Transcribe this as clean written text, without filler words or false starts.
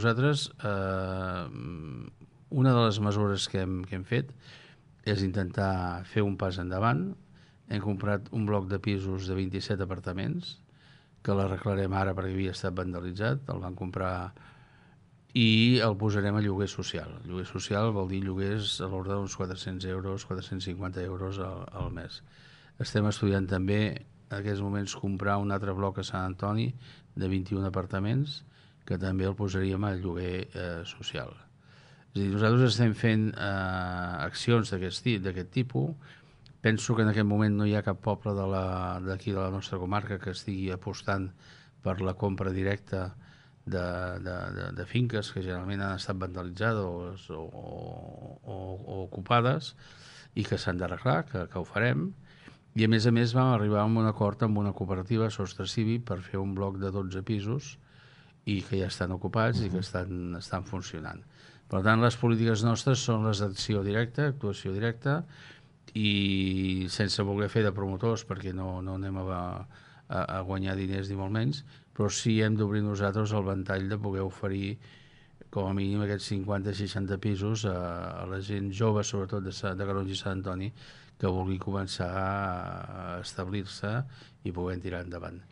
Nosaltres, una de les mesures que hem fet és intentar fer un pas endavant. Hem comprat un bloc de pisos de 27 apartaments, que l'arreglarem ara perquè havia estat vandalitzat, el van comprar i el posarem a lloguer social. Lloguer social vol dir lloguers a l'ordre d'uns 400 euros, 450 euros al mes. Estem estudiant també en aquests moments comprar un altre bloc a Sant Antoni de 21 apartaments que també el posaríem a lloguer social. És a dir, nosaltres estem fent accions d'aquest tipus. Penso que en aquest moment no hi ha cap poble d'aquí de la nostra comarca que estigui apostant per la compra directa de finques que generalment han estat vandalitzades o ocupades i que s'han d'arreglar, que ho farem. I a més vam arribar a un acord amb una cooperativa, Sostre Cívic, per fer un bloc de 12 pisos i que ja estan ocupats i que estan funcionant. Per tant, les polítiques nostres són les d'acció directa, actuació directa, i sense voler fer de promotors, perquè no anem a guanyar diners ni molt menys, però sí hem d'obrir nosaltres el ventall de poder oferir com a mínim aquests 50-60 pisos a la gent jove, sobretot de Calonge i Sant Antoni, que vulgui començar a establir-se i poder tirar endavant.